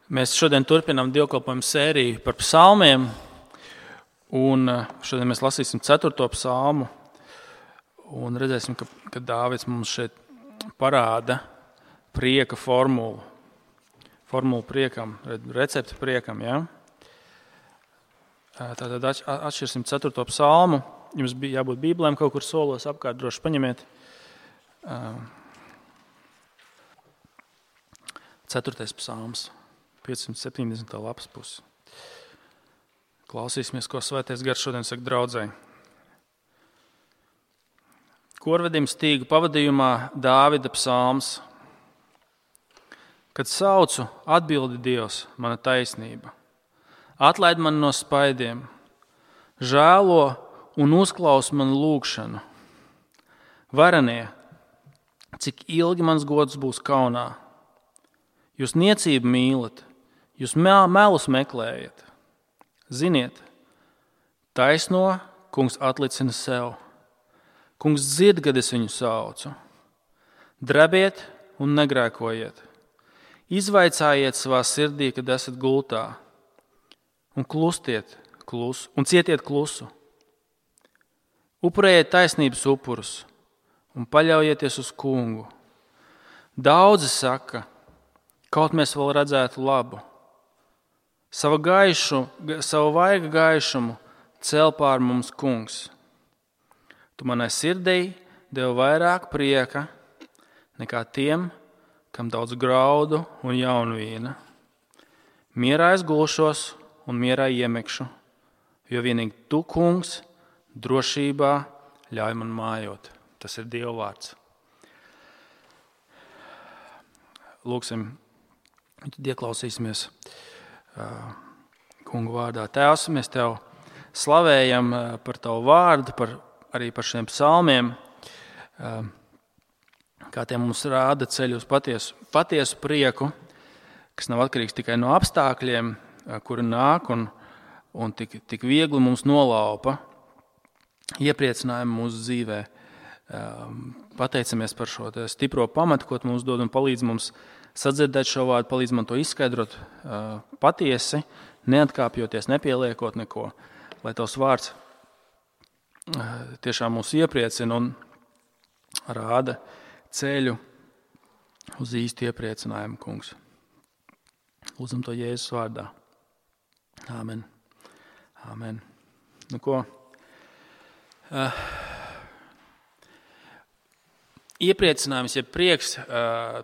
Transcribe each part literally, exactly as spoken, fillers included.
Mēs šodien turpinām dievkalpojumu sēriju par psalmiem, un šodien mēs lasīsim ceturto psalmu, un redzēsim, ka, ka Dāvids mums šeit parāda prieka formulu, formulu priekam, recepti priekam, ja? Tātad atšķirsim ceturto psalmu, jums bija jābūt bībelēm kaut kur solos apkārt, droši paņemiet. Ceturtais psalms. piecsimt septiņdesmit lapas pusi. Klausīsimies, ko Svētais Gars šodien saka draudzei. Korvedim stīgu pavadījumā Dāvida psalms. Kad saucu, atbildi Dievs, mana taisnība. Atlaid man no spaidiem, žēlo un uzklaus manu lūgšanu. Varenie, cik ilgi mans gods būs kaunā. Jūs niecību mīlat. Jūs melus meklējat. Ziniet, taisno kungs atlicina sev. Kungs dzird, kad es viņu saucu. Drebiet un negrēkojiet. Izvaicājiet savā sirdī, kad esat gultā. Un klustiet klusu, un cietiet klusu. Upurējiet taisnības upurus un paļaujieties uz kungu. Daudzi saka, kaut mēs vēl redzētu labu. Savu gaišu, savu vaiga gaišumu cel pār mums kungs. Tu manai sirdī devi vairāk prieka nekā tiem, kam daudz graudu un jaunvīna. Mierā es gulšos un mierā iemekšu, jo vienīgi tu, kungs, drošībā ļauj man mājot. Tas ir Dieva vārds. Lūksim, tad ieklausīsimies Kungu vārdā. Tēvs, mēs Tev slavējam par Tavu vārdu, par, arī par šiem psalmiem, kā tie mums rāda ceļu uz patiesu, patiesu prieku, kas nav atkarīgs tikai no apstākļiem, kuri nāk un, un tik, tik viegli mums nolaupa iepriecinājumu mūsu dzīvē. Pateicamies par šo stipro pamatu, ko Tu mums dod un palīdz mums sadzirdēt šo vārdu, palīdz man to izskaidrot uh, patiesi, neatkāpjoties, nepieliekot neko, lai Tavs vārds uh, tiešām mūs iepriecina un rāda ceļu uz īstu iepriecinājumu, kungs. Lūdzam to Jēzus vārdā. Āmen. Āmen. Nu ko? Uh, Iepriecinājums, ja prieks,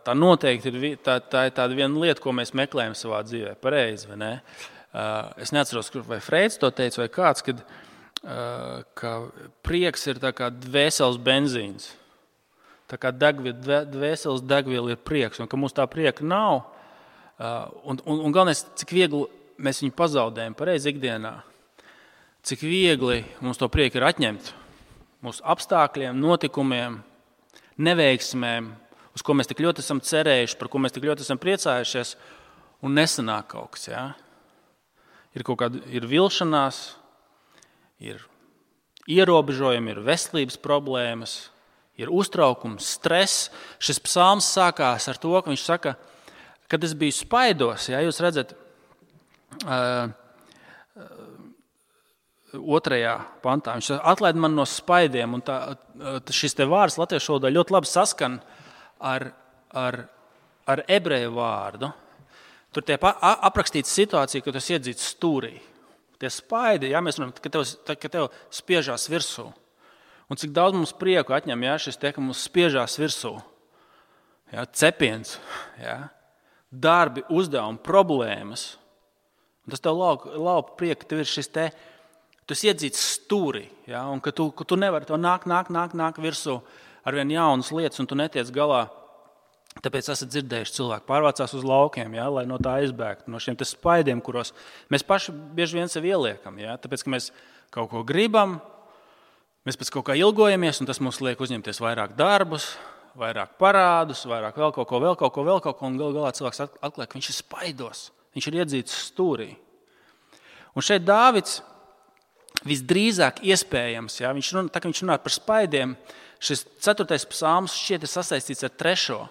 tā noteikti ir, tā, tā ir tāda viena lieta, ko mēs meklējam savā dzīvē. Pareizi, vai ne? Es neatceros, vai Freids to teica, vai kāds, kad, ka prieks ir tā kā dvēseles benzīns. Tā kā degviela, dvēseles degviela ir prieks, un ka mums tā prieka nav. Un, un, un galvenais, cik viegli mēs viņu pazaudējam pareizi ikdienā. Cik viegli mums to prieku ir atņemt. Mūsu apstākļiem, notikumiem, neveiksmēm, uz ko mēs tik ļoti esam cerējuši, par ko mēs tik ļoti esam priecājušies, un nesanāk kaut kas. Ja? Ir kaut kāda ir vilšanās, ir ierobežojumi, ir veselības problēmas, ir uztraukums, stress. Šis psalms sākās ar to, ka viņš saka, kad es biju spaidos, ja, jūs redzat, uh, otrajā pantā. Viņš atlaid man no spaidiem, un tā, šis te vārds latviešu valodā ļoti labi saskan ar, ar, ar ebreju vārdu. Tur tiek aprakstīta situācija, ka tas iedzīts stūrī. Tie spaidi, jā, mēs runājam, ka tev, ka tev spiežās virsū. Un cik daudz mums prieku atņem, jā, šis te, ka mums spiežās virsū. Jā, cepiens, jā, darbi, uzdevumi, problēmas. Un tas tev laupa, laupa prieku, tev ir šis te tas iedzīts stūrī, ja, un ka tu, ka tu nevari to nāk, nāk, nāk, nāk virsū ar vien jaunas lietas, un tu netiec galā. Tāpēc esat dzirdējuši, cilvēki pārvācās uz laukiem, ja, lai no tā izbēgtu, no šiem spaidiem, kuros mēs paši bieži vien sev ieliekam. Ja, tāpēc, ka mēs kaut ko gribam, mēs pēc kaut kā ilgojamies, un tas mums liek uzņemties vairāk darbus, vairāk parādus, vairāk vēl kaut ko, vēl kaut ko, vēl kaut ko, un gal galā cilvēks atklāja, ka viņš ir spaidos, viņš ir iedzīts stūrī. Un šeit Dāvids visdrīzāk iespējams, ja, viņš runā, tā kā viņš runā par spaidiem, šis ceturtais psalms šķiet ir sasaistīts ar trešo.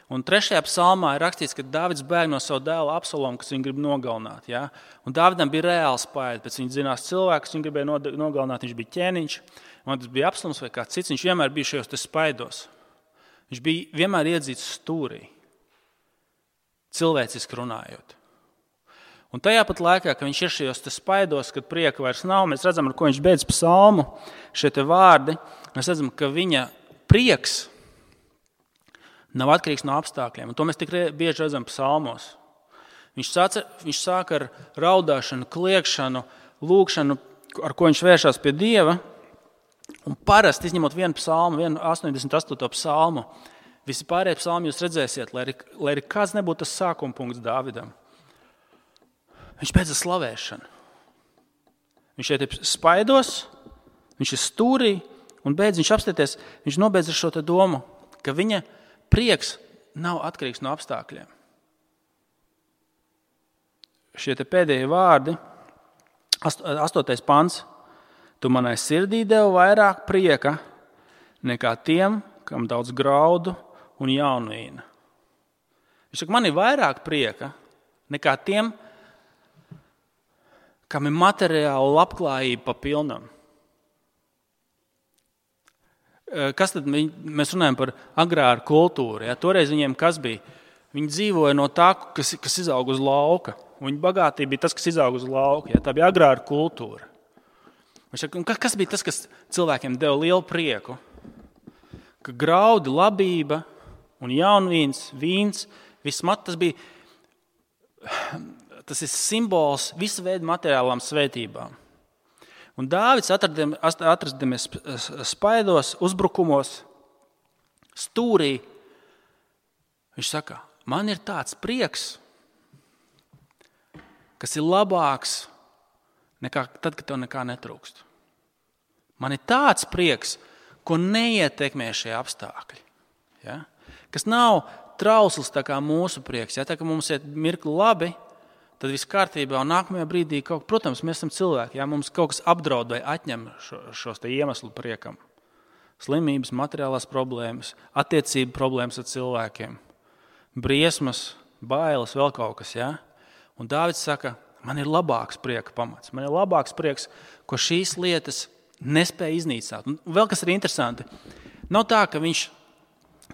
Un trešajā psalmā ir rakstīts, ka Dāvids bēg no savu dēlu Absalomu, kas viņu grib nogalināt. Ja? Un Dāvidam bija reāli spaidi, pēc viņa zinās cilvēkus, viņu gribēja nogalināt, viņš bija ķēniņš, un tas bija Absaloms vai kāds cits, viņš vienmēr bija šajos te spaidos. Viņš bija vienmēr iedzīts stūrī, cilvēciski runājot. Un tajā pat laikā, kad viņš ir šajos te spaidos, kad prieka vairs nav, mēs redzam, ar ko viņš beidz psalmu, šie te vārdi, mēs redzam, ka viņa prieks nav atkarīgs no apstākļiem. Un to mēs tik bieži redzam psalmos. Viņš sāk, viņš sāk ar raudāšanu, kliekšanu, lūkšanu, ar ko viņš vēršās pie Dieva. Un parasti, izņemot vienu psalmu, vienu astoņdesmit astoto psalmu, visi pārējie psalmi jūs redzēsiet, lai arī, lai arī kāds nebūtu tas sākuma punkts Dāvidam. Viņš beidz ar slavēšanu. Viņš šeit ir spaidos, viņš ir stūrī, un beidz viņš apstāties, viņš nobeidz ar šo te domu, ka viņa prieks nav atkarīgs no apstākļiem. Šie te pēdējie vārdi, astotais pants, tu manai sirdī devu vairāk prieka nekā tiem, kam daudz graudu un jaunvīna. Viņš saka, man ir vairāk prieka nekā tiem, kam ir materiāla labklājība pa pilnam. Kas tad mēs runājam par agrāru kultūru? Ja? Toreiz viņiem kas bija? Viņi dzīvoja no tā, kas, kas izaug uz lauka. Viņa bagātība bija tas, kas izaug uz lauka. Ja? Tā bija agrāra kultūra. Kas bija tas, kas cilvēkiem deva lielu prieku? Ka graudi, labība un jaunvīns, vīns, viss mat, tas bija, tas ir simbols visu veidu materiālām svētībām. Un Dāvids atradamies spaidos, uzbrukumos, stūrī. Viņš saka, man ir tāds prieks, kas ir labāks nekā tad, kad tev nekā netrūkst. Man ir tāds prieks, ko neietekmē šie apstākļi. Ja? Kas nav trausls tā kā mūsu prieks. Ja? Tā kā mums iet mirkli labi, tad viss kārtībā un nākamajā brīdī, kaut, protams, mēs esam cilvēki, ja mums kaut kas apdraud vai atņem šo, šos te iemeslu priekam. Slimības, materiālās problēmas, attiecību problēmas ar cilvēkiem, briesmas, bailes, vēl kaut kas. Ja? Un Dāvids saka, man ir labāks prieka pamats, man ir labāks prieks, ko šīs lietas nespēja iznīcināt. Un vēl kas ir interesanti, nav tā, ka viņš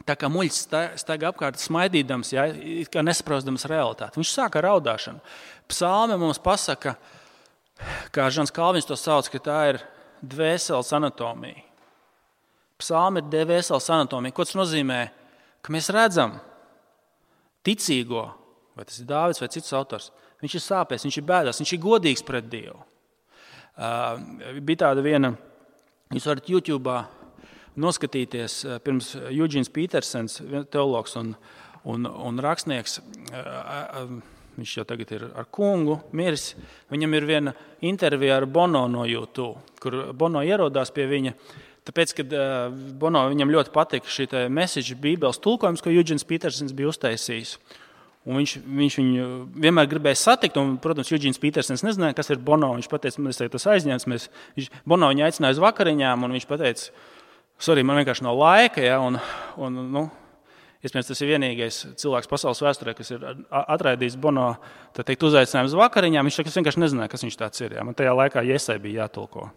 tā kā muļķis staigā apkārt smaidīdams, ja, kā nesaprostams realitāti. Viņš sāk ar raudāšanu. Psalme mums pasaka, kā Žans Kalvins to sauc, ka tā ir dvēseles anatomija. Psalme ir dvēseles anatomija. Ko tas nozīmē? Ka mēs redzam ticīgo, vai tas ir Dāvids vai cits autors, viņš ir sāpēs, viņš ir bēdās, viņš ir godīgs pret Dievu. Uh, bija tāda viena, jūs varat YouTube'ā noskatīties pirms Eugēns Petersens, teologs un, un, un rakstnieks, viņš jau tagad ir ar kungu, miris. Viņam ir viena intervija ar Bono no YouTube, kur Bono ierodās pie viņa, tāpēc, kad Bono viņam ļoti patika šī message bībeles tulkojums, ko Eugēns Petersens bija uztaisījis. Un viņš, viņš viņu vienmēr gribēja satikt, un, protams, Eugēns Petersens nezināja, kas ir Bono. Viņš pateica, man tas aizņēmis, mēs, viņš, Bono viņu aicināja uz vakariņām, un viņš pateica, sorry, man vienkārši nav laika, ja, un, un nu, iespējams, tas ir vienīgais cilvēks pasaules vēsturē, kas ir atraidījis Bono, tā teikt, uzaicinājumu uz vakariņām. Viņš teica, es vienkārši nezināju, kas viņš tāds ir. Ja. Man tajā laikā Jesai bija jātulko.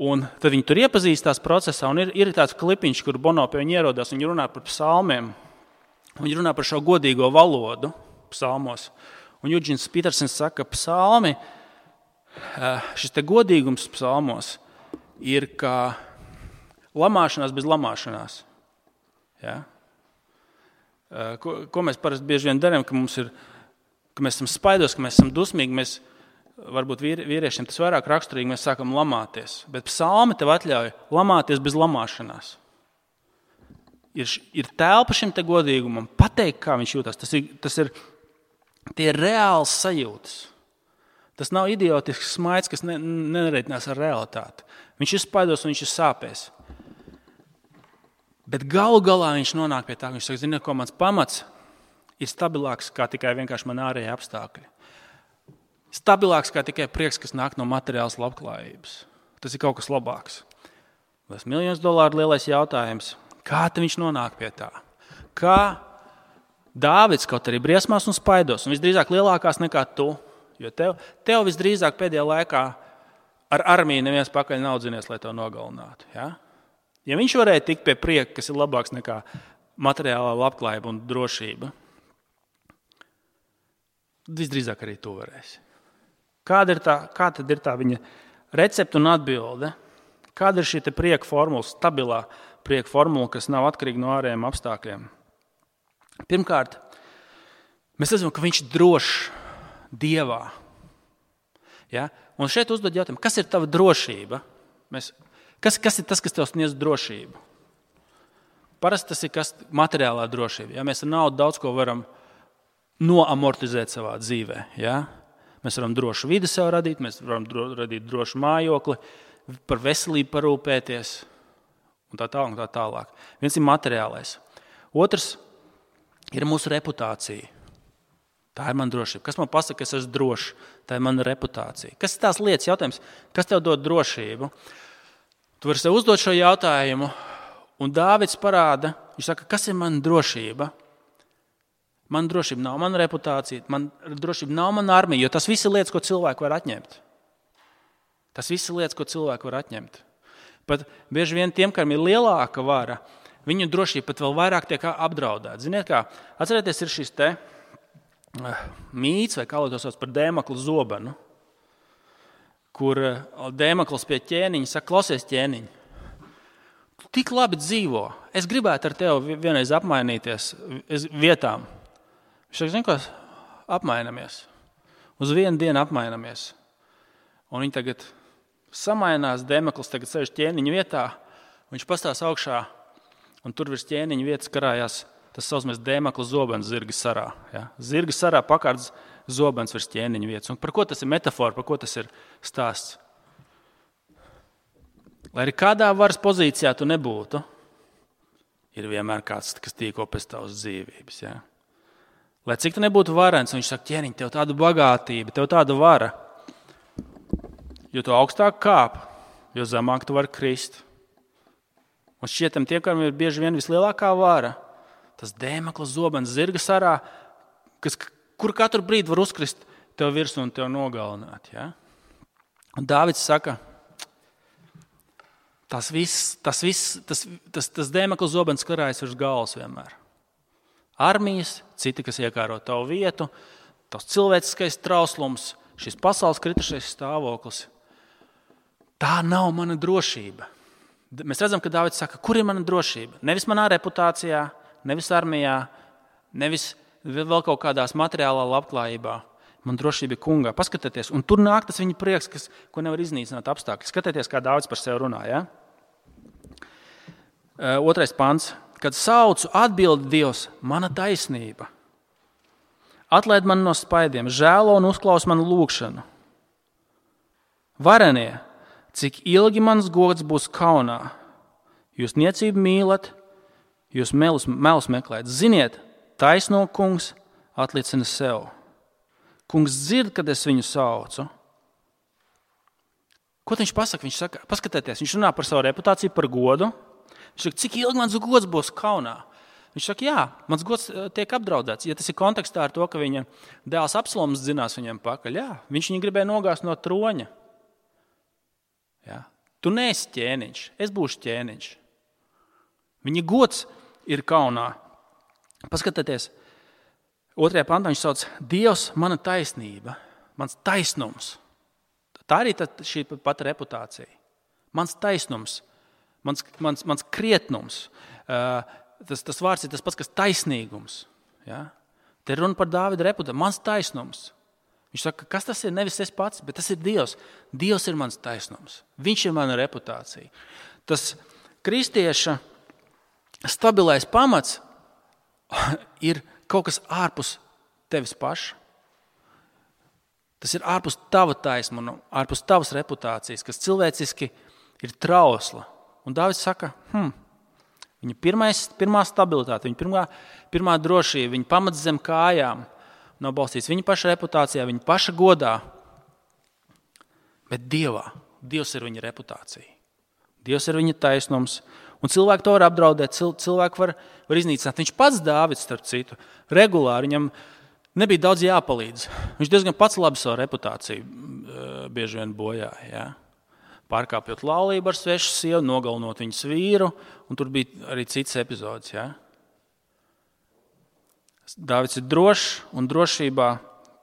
Un tad viņi tur iepazīstās procesā, un ir, ir tāds klipiņš, kur Bono pie viņa ierodās, viņi runā par psalmiem. Viņi runā par šo godīgo valodu psalmos. Un Eugēns Petersens saka, ka psalmi, šis te godīgums psalmos ir kā lamāšanās bez lamāšanās. Ja? Ko, ko mēs parasti bieži vien darām, ka, mums ir, ka mēs esam spaidos, ka mēs esam dusmīgi, mēs, varbūt vīriešiem tas vairāk raksturīgi, mēs sākam lamāties. Bet psalmi tev atļauj lamāties bez lamāšanās. Ir, ir telpa šim te godīgumam, pateikt, kā viņš jūtas. Tas ir, tas ir tie ir reāls sajūtas. Tas nav idiotisks smaids, kas ne, nereitinās ar realitāti. Viņš ir spaidos un viņš ir sāpēs. Bet galu galā viņš nonāk pie tā, ka viņš saka, zini, ko mans pamats ir stabilāks kā tikai vienkārši man ārējie apstākļi. Stabilāks kā tikai prieks, kas nāk no materiālas labklājības. Tas ir kaut kas labāks. Tas miljonus dolāru lielais jautājums. Kā tad viņš nonāk pie tā? kā Dāvids kaut arī briesmās un spaidos, un visdrīzāk lielākās nekā tu, jo tev, tev visdrīzāk pēdējā laikā ar armiju neviens pakaļ nav dzinies, lai to nogalinātu. Ja? Ja viņš varēja tikt pie prieka, kas ir labāks nekā materiālā labklājība un drošība, visdrīzāk arī tu varēsi. Kāda ir tā, kā tad ir tā viņa recepte un atbilde? Kāda ir šī te prieka formula, stabilā prieka formula, kas nav atkarīga no ārējiem apstākļiem? Pirmkārt, mēs redzam, ka viņš ir drošs Dievā. Ja? Un šeit uzdod jautājumu, kas ir tava drošība? Mēs, kas, kas ir tas, kas tev sniedz drošību? Parasti tas ir kas materiālā drošība. Ja? Mēs ar naudu daudz ko varam noamortizēt savā dzīvē. Ja? Mēs varam drošu vidi sev radīt, mēs varam dro, radīt drošu mājokli, par veselību parūpēties un tā tālāk. Un tā tālāk. Viens ir materiālais. Otrs ir mūsu reputācija. Tā ir mana drošība. Kas man pasaka, ka es esmu drošs? Tā ir mana reputācija. Kas ir tās lietas jautājums? Kas tev dod drošību? Tu vari sev uzdot šo jautājumu, un Dāvids parāda, viņš saka, kas ir mana drošība? Man drošība nav mana reputācija, man drošība nav mana armija, jo tas viss ir lietas, ko cilvēki var atņemt. Tas viss ir lietas, ko cilvēki var atņemt. Pat bieži vien tiem, kam ir lielāka vara, viņu drošība pat vēl vairāk tiek apdraudēta. Ziniet kā, atcerieties, ir šis te mīts, vai kā lai to sauc par Dēmakla zobenu, kur Dēmakls pie ķēniņa saka, klausies ķēniņ, tu tik labi dzīvo, es gribētu ar tevi vienreiz apmainīties vietām. Viņš saka, zini ko, apmainamies. Uz vienu dienu apmainamies. Un viņi tagad samainās, Dēmakls tagad sēž ķēniņa vietā, viņš pastās augšā, un tur virs ķēniņa vietas karājās tas saucamies Dēmakla zobens zirga sarā. Ja? Zirga sarā pakārts zobens virs ķēniņa vietas. Un par ko tas ir metafora, par ko tas ir stāsts? Lai arī kādā varas pozīcijā tu nebūtu, ir vienmēr kāds, kas tīko pēc tavas dzīvības. Ja? Lai cik tu nebūtu varens, viņš saka, ķēniņ, tev tāda bagātība, tev tāda vara, jo tu augstāk kāp, jo zemāk tu vari krist. Un šķietam tie, kam ir bieži vien vislielākā vara, tas Dēmakla zobens zirga sarā, kas, kur katru brīdi var uzkrist tev virsū un tev nogalināt. Ja? Un Dāvids saka, tas viss, tas, viss, tas, tas, tas Dēmakla zobens karājas virs galvas vienmēr. Armijas, citi, kas iekāro tavu vietu, tavs cilvēciskais trauslums, šis pasaules kritušais stāvoklis. Tā nav mana drošība. Mēs redzam, ka Dāvids saka, kur ir mana drošība? Nevis manā reputācijā, nevis armijā, nevis vēl kaut kādās materiālā labklājībā. Man drošība ir kungā. Paskatieties, un tur nāk tas viņa prieks, kas, ko nevar iznīcināt apstākļi. Skatieties, kā Dāvids par sevi runā. Ja? Otrais pants. Kad saucu, atbild Dievs, mana taisnība. Atlaid mani no spaidiem, žēlo un uzklaus manu lūgšanu. Varenie, cik ilgi mans gods būs kaunā? Jūs niecību mīlat, jūs melus, melus meklējat. Ziniet, taisno kungs atlicina sev. Kungs dzird, kad es viņu saucu. Ko viņš pasaka? Viņš saka, paskatieties, viņš runā par savu reputāciju, par godu. Viņš saka, cik ilgi mans gods būs kaunā? Viņš saka, jā, mans gods tiek apdraudēts. Ja tas ir kontekstā ar to, ka viņa dēls Absaloms dzinās viņam pakaļ, jā, viņš viņu gribēja nogāzt no troņa. Jā. Tu neesi ķēniņš, es būšu ķēniņš. Viņa gods ir kaunā. Paskatieties, otrajā pantā viņš sauc, Dievs, mana taisnība, mans taisnums. Tā arī tā, šī pati reputācija. Mans taisnums, mans, mans, mans krietnums. Uh, tas, tas vārds ir tas pats, kas taisnīgums. Ja? Te ir runa par Dāvida reputāciju. Mans taisnums. Viņš saka, kas tas ir? Nevis es pats, bet tas ir Dievs. Dievs ir mans taisnums. Viņš ir mana reputācija. Tas kristieša stabilais pamats ir kaut kas ārpus tevis paša. Tas ir ārpus tava taisnuma, ārpus tavas reputācijas, kas cilvēciski ir trausla. Un Dāvids saka, hm, viņa pirmais, pirmā stabilitāte, viņa pirmā, pirmā drošība, viņa pamats zem kājām nav balstīts viņa paša reputācijā, viņa paša godā, bet Dievā. Dievs ir viņa reputācija. Dievs ir viņa taisnums, Un cilvēki to var apdraudēt, cilvēki var, var iznīcināt. Viņš pats Dāvids, starp citu, regulāri, viņam nebija daudz jāpalīdz. Viņš diezgan pats labi savu reputāciju bieži vien bojāja. Ja? Pārkāpjot laulību ar svešu sievu, nogalinot viņas vīru, un tur bija arī cits epizods. Ja? Dāvids ir drošs un drošībā,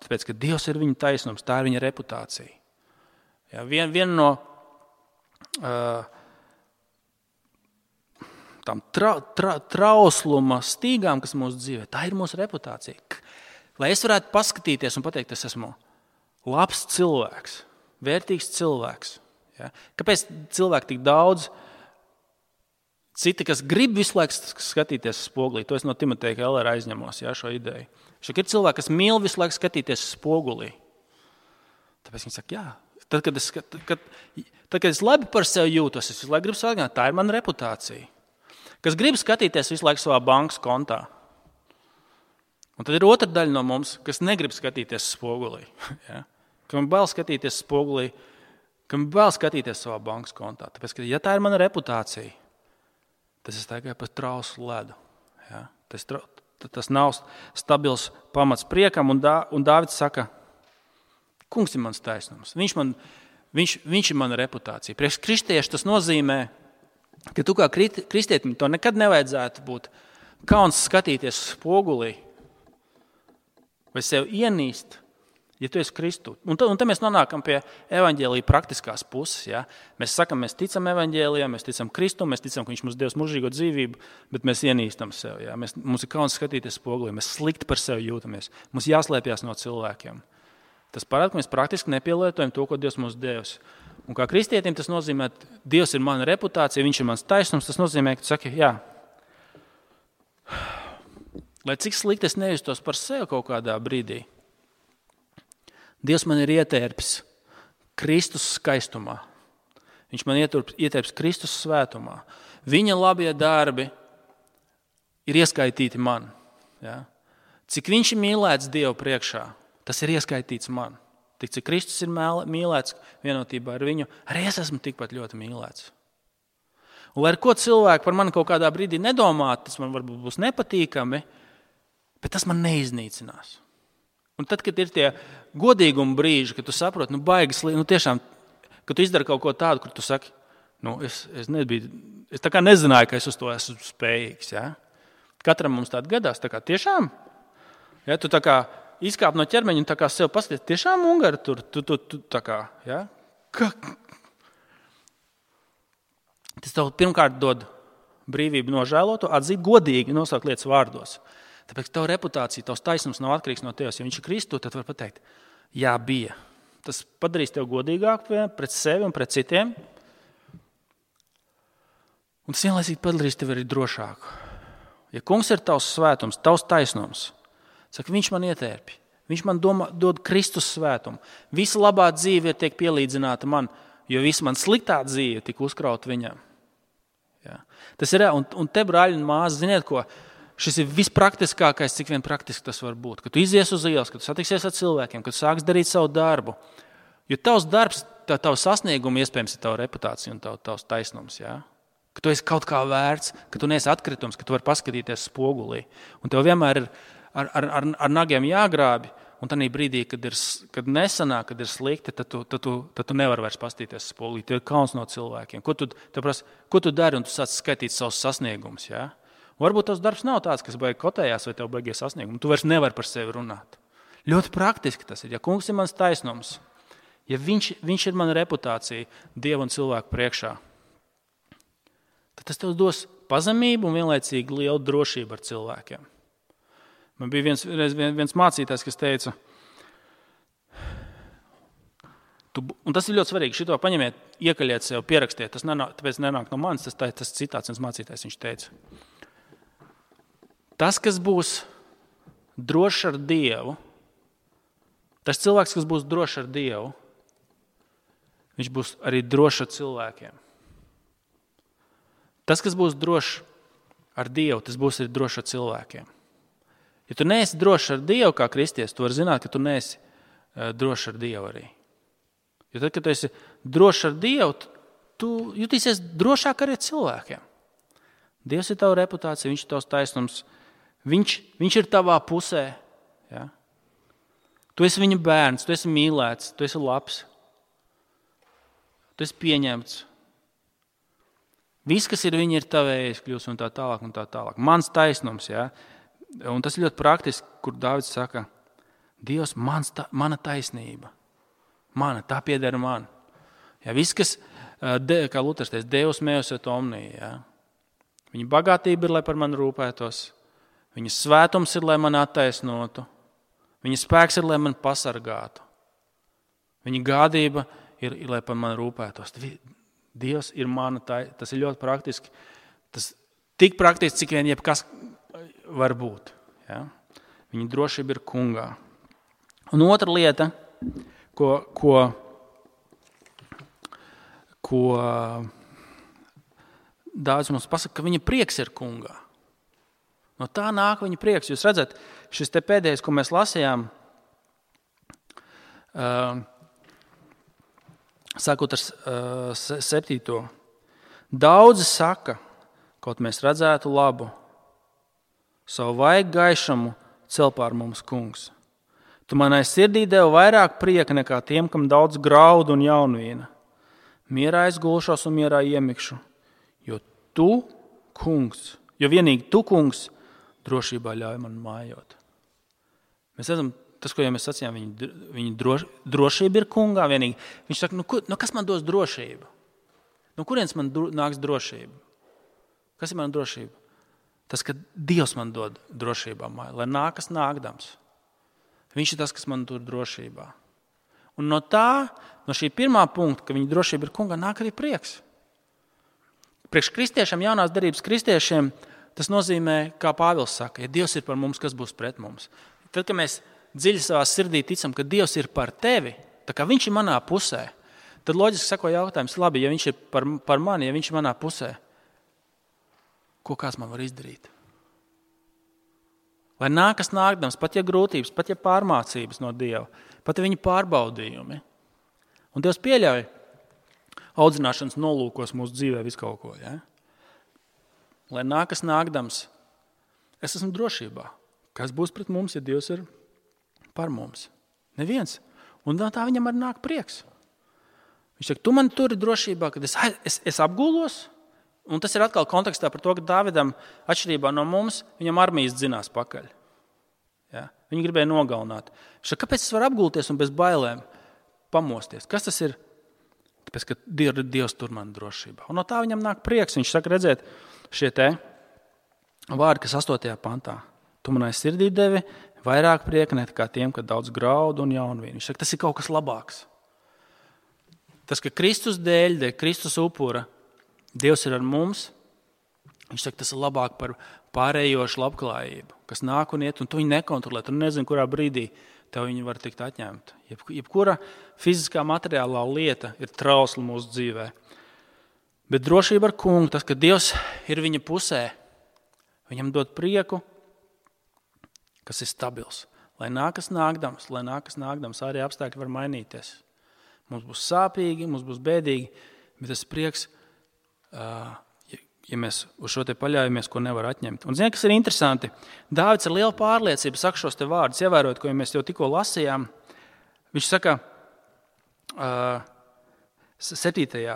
tāpēc, ka Dievs ir viņa taisnums, tā ir viņa reputācija. Ja? Vien, viena no uh, tām tra, tra, trausluma stīgām, kas mūsu dzīvē, tā ir mūsu reputācija. Lai es varētu paskatīties un pateikt, es esmu labs cilvēks, vērtīgs cilvēks. Ja? Kāpēc cilvēki tik daudz, citi, kas grib visu laiku skatīties spogulī, to es no Timoteja Kellera aizņemos, ja, šo ideju. Šeit ir cilvēki, kas mīl visu laiku skatīties spogulī. Tāpēc viņi saka, jā, tad, kad es, kad, kad, tad, kad es labi par sevi jūtos, es visu laiku gribu sākt, tā ir mana reputācija. Kas grib skatīties visu laiku savā bankas kontā. Un tad ir otra daļa no mums, kas negrib skatīties spogulī. Ja? Kam bail skatīties spogulī, kam bail skatīties savā bankas kontā. Tāpēc, ka, ja tā ir mana reputācija, tas ir tikai par trauslu ledu. Ja? Tas, tas nav stabils pamats priekam, un, Dā, un Dāvids saka, kungs ir mans taisnums. Viņš, man, viņš, viņš ir mana reputācija. Priekš kristieši tas nozīmē, ka tu kā kristietim to nekad nevajadzētu būt kauns skatīties spogulī vai sev ienīst, ja tu esi Kristu. Un tad, un tad mēs nonākam pie evaņģēlija praktiskās puses. Ja? Mēs sakam, mēs ticam evaņģēlijam, mēs ticam Kristum, mēs ticam, ka viņš mums devis mūžīgo dzīvību, bet mēs ienīstam sev. Ja? Mēs, mums ir kauns skatīties spogulī, mēs slikti par sevi jūtamies. Mums jāslēpjas no cilvēkiem. Tas parāda, ka mēs praktiski nepielietojam to, ko Dievs mums devis. Un kā kristietim tas nozīmē, ka Dievs ir mana reputācija, viņš ir mans taisnums, tas nozīmē, ka tu saki, jā, lai cik slikti es nejustos par sevi kaut kādā brīdī, Dievs man ir ietērpis Kristus skaistumā. Viņš man ietērpis Kristus svētumā. Viņa labie darbi ir ieskaitīti man. Ja? Cik viņš ir mīlēts Dievu priekšā, tas ir ieskaitīts man. Tik cik Kristus ir mīlēts vienotībā ar viņu, arī es esmu tikpat ļoti mīlēts. Un lai ar ko cilvēki par mani kaut kādā brīdī nedomāt, tas man varbūt būs nepatīkami, bet tas man neiznīcinās. Un tad, kad ir tie godīguma brīži, kad tu saproti, nu baigas, nu tiešām, kad tu izdari kaut ko tādu, kur tu saki, nu es, es nebiju, es tā kā nezināju, ka es uz to esmu spējīgs, ja? Katram mums tāda gadās, tā kā tiešām, ja, tu tā kā izkāp no ķermeņa un tā kā sev paskaties, tiešām Ungari tur, tu, tu, tu, tā kā, ja? Ka... Tas tev pirmkārt dod brīvību nožēlot, atzīt godīgi, nosaukt lietas vārdos. Tāpēc tava reputācija, tavs taisnums nav atkarīgs no tevis. Ja viņš ir Kristu, tad var pateikt, jā, bija. Tas padarīs tev godīgāku pret sevi un pret citiem. Un tas vienlaicīgi padarīs tevi arī drošāku. Ja kungs ir tavs svētums, tavs taisnums, saka, viņš man ietērpi. Viņš man domā, dod Kristus svētumu. Visa labā dzīve tiek pielīdzināta man, jo visa man sliktā dzīve tika uzkrauta viņam. Ja. Tas ir, un, un te, brāļi un māsas, ziniet ko? Šis ir vispraktiskākais, cik vien praktiski tas var būt. Kad tu izies uz ielas, kad tu satiksies ar cilvēkiem, kad tu sāks darīt savu darbu. Jo tavs darbs, tā, tavs sasniegumi iespējams ir tava reputācija un tav, tavs taisnums. Ja? Ka tu esi kaut kā vērts, ka tu neesi atkritums, ka tu vari paskatīties spogulī. Un tev vienmēr ir ar, ar, ar, ar nagiem jāgrābi. Un tādā brīdī, kad, ir, kad nesanāk, kad ir slikti, tad tu, tad tu, tad tu nevari vairs paskatīties spogulī. Tev ir kauns no cilvēkiem. Ko tu, prasa, ko tu dari un tu sāc skaitīt savus sasniegumus, ja? Varbūt tavs darbs nav tāds, kas baigi kotējās vai tev baigie sasniegumi. Tu vairs nevari par sevi runāt. Ļoti praktiski tas ir. Ja kungs ir mans taisnums, ja viņš, viņš ir mana reputācija Dievu un cilvēku priekšā, tad tas tev dos pazemību un vienlaicīgi lielu drošību ar cilvēkiem. Man bija viens, viens mācītājs, kas teica, tu, un tas ir ļoti svarīgi, šito paņemiet, iekaļiet sev, pierakstiet, tas nenāk, tāpēc nenāk no manis, tas, tā, tas citāts viens mācītājs, viņš teica. Tas, kas būs drošs ar Dievu, tas cilvēks, kas būs drošs ar Dievu, viņš būs arī drošs ar cilvēkiem. Tas, kas būs drošs ar Dievu, tas būs arī drošs ar cilvēkiem. Ja tu neesi drošs ar Dievu kā kristietis, tu vari zināt, ka tu neesi uh, drošs ar Dievu arī. Jo tad, kad tu esi drošs ar Dievu, tu jutīsies drošāk arī ar cilvēkiem. Dievs ir tava reputācija, viņš ir tavs taisnums. Viņš, viņš ir tavā pusē. Ja? Tu esi viņa bērns, tu esi mīlēts, tu esi labs. Tu esi pieņemts. Viss, kas ir viņa, ir tavējais kļūs un tā tālāk un tā tālāk. Mans taisnums, ja? Un tas ir ļoti praktiski, kur Dāvids saka, Dievs, mans, ta, mana taisnība. Mana, tā pieder man. Ja, viss, kas, de, kā Luters teica, Deus meus et omni. Ja. Viņa bagātība ir, lai par mani rūpētos. Viņa svētums ir, lai mani attaisnotu. Viņa spēks ir, lai mani pasargātu. Viņa gādība ir, ir lai par mani rūpētos. Dievs ir mana taisnība. Tas ir ļoti praktiski. Tas tik praktiski, cik vien jebkas var būt. Ja. Viņa drošība ir kungā. Un otra lieta, ko, ko, ko Dāvids mums pasaka, ka viņa prieks ir kungā. No tā nāk viņa prieks. Jūs redzat, šis te pēdējais, ko mēs lasījām, uh, sākot ar uh, septīto. Daudzi saka, kaut mēs redzētu labu, savu vaigu gaišumu cel pār mums kungs. Tu manai sirdī devi vairāk prieka nekā tiem, kam daudz graudu un jaunvīna. Mierā es gulšos un mierā iemikšu, jo tu, kungs, jo vienīgi tu, kungs, drošībā ļauj man mājot. Mēs redzam, tas, ko jau mēs sacījām, viņa, viņa droš, drošība ir kungā vienīgi. Viņš saka, nu, nu kas man dos drošību? No kurienes man dro, nāks drošība? Kas ir mana drošība? Tas, ka Dievs man dod drošībā māju, lai nākas nākdams. Viņš ir tas, kas man tur drošībā. Un no tā, no šī pirmā punkta, ka viņa drošība ir kungā, nāk arī prieks. Priekš kristiešiem, jaunās darības kristiešiem, tas nozīmē, kā Pāvils saka, ja Dievs ir par mums, kas būs pret mums. Tad, kad mēs dziļi savā sirdī ticam, ka Dievs ir par tevi, tā kā viņš ir manā pusē, tad loģiski sako jautājums, labi, ja viņš ir par, par mani, ja viņš ir manā pusē, ko kāds man var izdarīt? Lai nākas nākdams, pat ja grūtības, pat ja pārmācības no Dieva, pat ja viņa pārbaudījumi. Un Dievs pieļauj audzināšanas nolūkos mūsu dzīvē visu kaut ko. Ja? Lai nākas nākdams, es esmu drošībā. Kas būs pret mums, ja Dievs ir par mums? Neviens. Un tā viņam arī nāk prieks. Viņš saka, tu mani turi drošībā, kad es, es, es apgulos. Un tas ir atkal kontekstā par to, ka Dāvidam, atšķirībā no mums, viņam armijas dzinās pakaļ. Ja? Viņi gribēja nogalināt. Viņš saka, kāpēc es varu apgulties un bez bailēm pamosties? Kas tas ir? Tāpēc, ka Dievs tur man drošībā. Un no tā viņam nāk prieks. Viņš saka, redzēt, šie te vārdi, kas astotajā pantā. Tu manai sirdī devi vairāk prieka nekā tiem, ka daudz graudu un jaunvīnu. Viņš saka, tas ir kaut kas labāks. Tas, ka Kristus dēļ, dēļ Kristus upura, Dievs ir ar mums, viņš saka, tas ir labāk par pārējošu labklājību, kas nāk un iet, un tu viņu nekontrolē, tu nezini, kurā brīdī tev viņi var tikt atņemta. Jeb, jebkura fiziskā materiālā lieta ir trausla mūsu dzīvē. Bet drošība ar kungu, tas, ka Dievs ir viņa pusē, viņam dod prieku, kas ir stabils. Lai nākas nākdams, lai nākas nākdams, arī apstākļi var mainīties. Mums būs sāpīgi, mums būs bēdīgi, bet tas prieks, ja mēs uz šo te paļaujamies, ko nevar atņemt. Un zini, kas ir interesanti? Dāvids ar lielu pārliecību saka šos te vārdus, ievērojot, ko mēs jau tikko lasījām. Viņš saka uh, septītajā.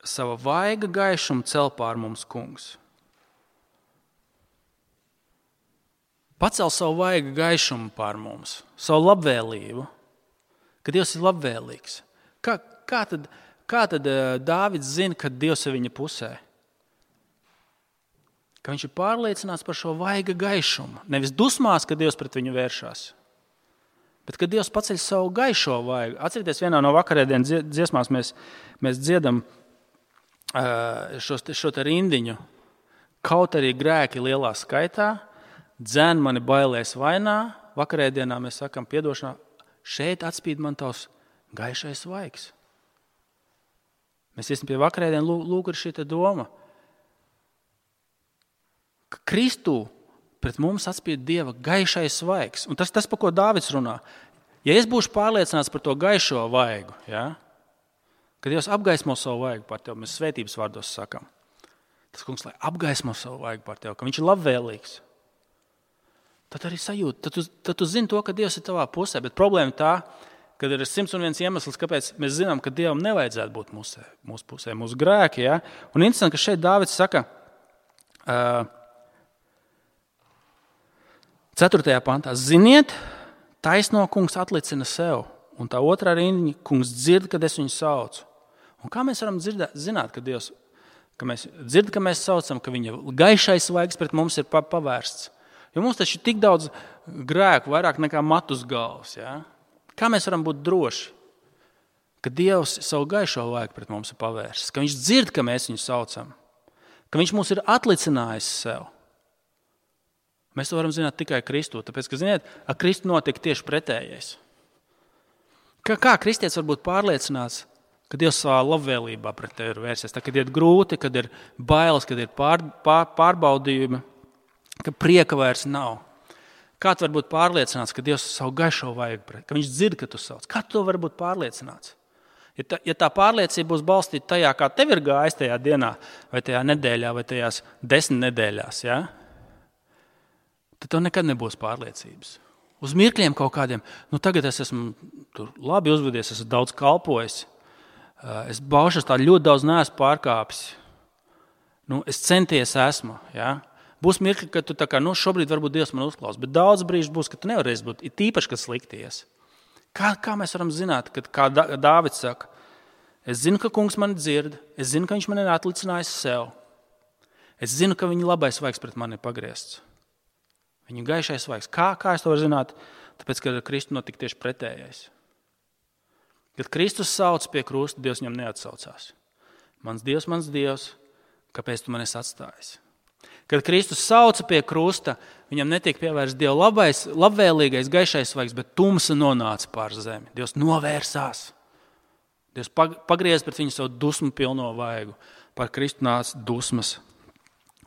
Sava vaiga gaišumu cel pār mums kungs. Pacel savu vaiga gaišumu pār mums, savu labvēlību, ka Dievs ir labvēlīgs. Kā, kā tad, kā tad Dāvids zina, ka Dievs ir viņa pusē? Ka viņš ir pārliecināts par šo vaiga gaišumu. Nevis dusmās, ka Dievs pret viņu vēršās, bet ka Dievs paceļ savu gaišo vaigu. Atcerieties, vienā no vakarēdienas dziesmās mēs, mēs dziedam šo, šo te rindiņu. Kaut arī grēki lielā skaitā, dzen mani bailēs vainā, vakarēdienā mēs sakam piedošanā, šeit atspīd man tavs gaišais vaigs. Mēs iesim pie vakarēdienu, lūk, ir šī doma, ka Kristū pret mums atspīd Dieva gaišais vaigs. Un tas, tas, par ko Dāvids runā. Ja es būšu pārliecināts par to gaišo vaigu, ja, Kad Dievs apgaismo savu vaigu pār tevi, mēs svētības vārdos sakam. Tas kungs, lai apgaismo savu vaigu pār tevi, ka viņš ir labvēlīgs. Tad arī sajūta, tad tu, tad tu zini to, ka Dievs ir tavā pusē. Bet problēma tā, kad ir simts un viens iemesls, kāpēc mēs zinām, ka Dievam nevajadzētu būt mūsē, mūsu pusē, mūsu grēki. Ja? Un interesanti, ka šeit Dāvids saka, uh, ceturtajā pantā, ziniet, taisno kungs atlicina sev, un tā otrā rindiņa, kungs dzird, kad es viņu saucu. Un kā mēs varam dzirdēt, zināt, ka Dievs, ka mēs dzird, ka mēs saucam, ka viņa gaišais vaigs pret mums ir pavērsts. Jo mums taču ir tik daudz grēku, vairāk nekā matu uz galvas. Ja? Kā mēs varam būt droši, ka Dievs savu gaišo vaigu pret mums ir pavērsts, ka viņš dzird, ka mēs viņu saucam, ka viņš mūs ir atlicinājis sev. Mēs to varam zināt tikai Kristū, tāpēc, ka, ziniet, ar Kristu notiek tieši pretējais. Kā, kā kristietis var būt pārliecināts, ka Dievs savā labvēlībā pret tevi ir vērsies, tā, kad ir grūti, kad ir bailes, kad ir pār, pār, pārbaudījumi, ka prieka vairs nav. Kā tu vari būt pārliecināts, ka Dievs savu gaišo vaigu pret, ka viņš dzird, ka tu sauc? Kā tu vari būt pārliecināts? Ja tā, ja tā pārliecība būs balstīta tajā, kā tev ir gājis tajā dienā, vai tajā nedēļā, vai tajās desmit nedēļās, ja? Tad tev nekad nebūs pārliecības. Uz mirkļiem kaut kādiem, nu tagad es esmu tur labi uzvedies, esmu daudz kalpojis, es baušas tā ļoti daudz neesmu pārkāpis, nu es centies esmu, ja? Būs mirkļi, ka tu tā kā, nu, šobrīd varbūt Dievs man uzklaus, bet daudz brīžu būs, ka tu nevarēsi būt, ir tīpaši, kad slikties. Kā, kā mēs varam zināt, kad, kā Dāvids saka, es zinu, ka kungs mani dzird, es zinu, ka viņš mani ir atlicinājis sev, es zinu, ka viņa labais vaigs pret mani ir pagriezts. Viņa gaišais vaigs. Kā, kā es to varu zināt? Tāpēc, kad ar Kristu notika tieši pretējais. Kad Kristus sauc pie krusta, Dievs viņam neatsaucās. Mans Dievs, mans Dievs, kāpēc tu man esi atstājis? Kad Kristus sauca pie krusta, viņam netiek pievērsts Dieva labais, labvēlīgais, gaišais vaigs, bet tumsa nonāca pār zemi. Dievs novērsās. Dievs pagriez pret viņu savu dusmu pilno vaigu. Pār Kristu nāca dusmas.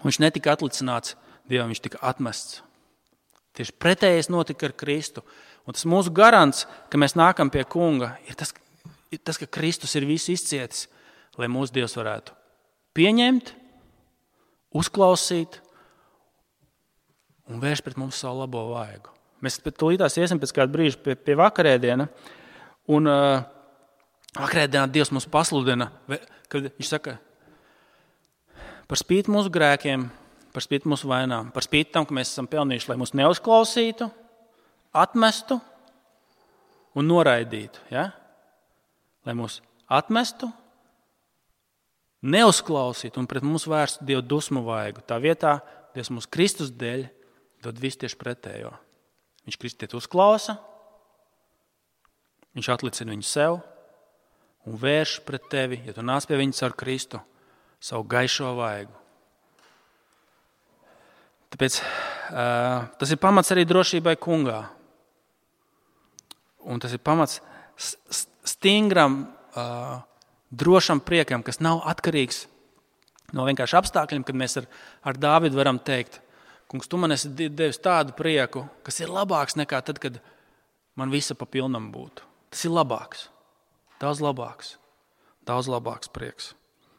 Un viņš netika atlicināts Dievam, viņš tika atmests. Tieši pretējais notika ar Kristu. Un tas mūsu garants, ka mēs nākam pie kunga, ir tas, ir tas ka Kristus ir visu izcietis, lai mūsu Dievs varētu pieņemt, uzklausīt un vērš pret mums savu labo vaigu. Mēs tūlītās iesim pēc kāda brīža pie, pie vakarēdiena, un uh, vakarēdienā Dievs mums pasludina, kad viņš saka, par spīti mūsu grēkiem, par spīti mūsu vainām, par spīti tam, ka mēs esam pelnījuši, lai mūs neuzklausītu, atmestu un noraidītu. Ja? Lai mūs atmestu, neuzklausīt un pret mums vērstu Dievu dusmu vaigu. Tā vietā Dievs mums Kristus dēļ dod visu tieši pretējo. Viņš kristieti uzklausa, viņš atlicina viņu sev un vērš pret tevi, ja tu nāc pie viņa caur Kristu, savu gaišo vaigu. Tāpēc uh, tas ir pamats arī drošībai kungā. Un tas ir pamats stingram uh, drošam priekam, kas nav atkarīgs no vienkārši apstākļiem, kad mēs ar, ar Dāvidu varam teikt, kungs, tu man esi devis tādu prieku, kas ir labāks nekā tad, kad man visa pa pilnam būtu. Tas ir labāks, daudz labāks, daudz labāks prieks.